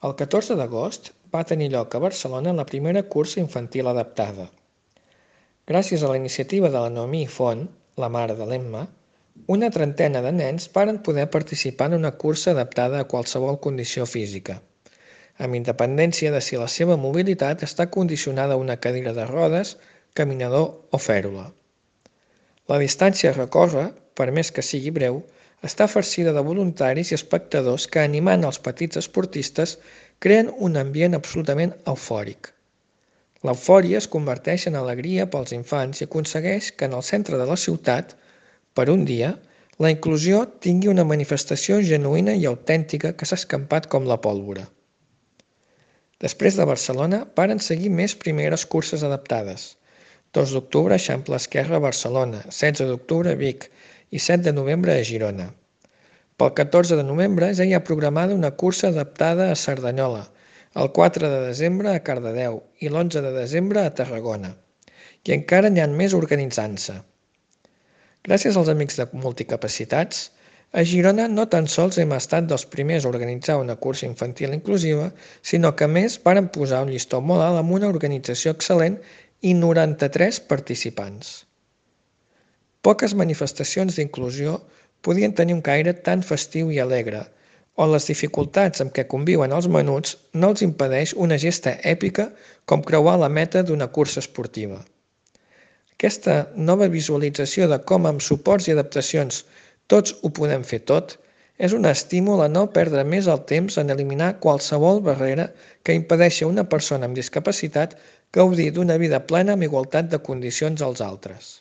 El 14 d'agost va tenir lloc a Barcelona la primera cursa infantil adaptada. Gràcies a la iniciativa de la Noemí Font, la mare de l'Emma, una trentena de nens varen poder participar en una cursa adaptada a qualsevol condició física, amb independència de si la seva mobilitat està condicionada a una cadira de rodes, caminador o fèrula. La distància a recórrer, per més que sigui breu, està farcida de voluntaris i espectadors que, animant els petits esportistes, creen un ambient absolutament eufòric. L'eufòria es converteix en alegria pels infants i aconsegueix que en el centre de la ciutat, per un dia, la inclusió tingui una manifestació genuïna i autèntica que s'ha escampat com la pólvora. Després de Barcelona, varen seguir més primeres curses adaptades. 2 d'octubre a Eixample Esquerre, Barcelona, 16 d'octubre a Vic i 7 de novembre a Girona. Pel 14 de novembre ja hi ha programada una cursa adaptada a Cerdanyola, el 4 de desembre a Cardedeu i l'11 de desembre a Tarragona. I encara n'hi ha més organitzant-se. Gràcies als amics de Multicapacitats, a Girona no tan sols hem estat dels primers a organitzar una cursa infantil inclusiva, sinó que a més varen posar un llistó molt alt amb una organització excel·lent i 93 participants. Poques manifestacions d'inclusió podien tenir un caire tan festiu i alegre, on les dificultats amb què conviuen els menuts no els impedeix una gesta èpica com creuar la meta d'una cursa esportiva. Aquesta nova visualització de com amb suports i adaptacions tots ho podem fer tot és un estímul a no perdre més el temps en eliminar qualsevol barrera que impedeixi a una persona amb discapacitat gaudir d'una vida plena amb igualtat de condicions als altres.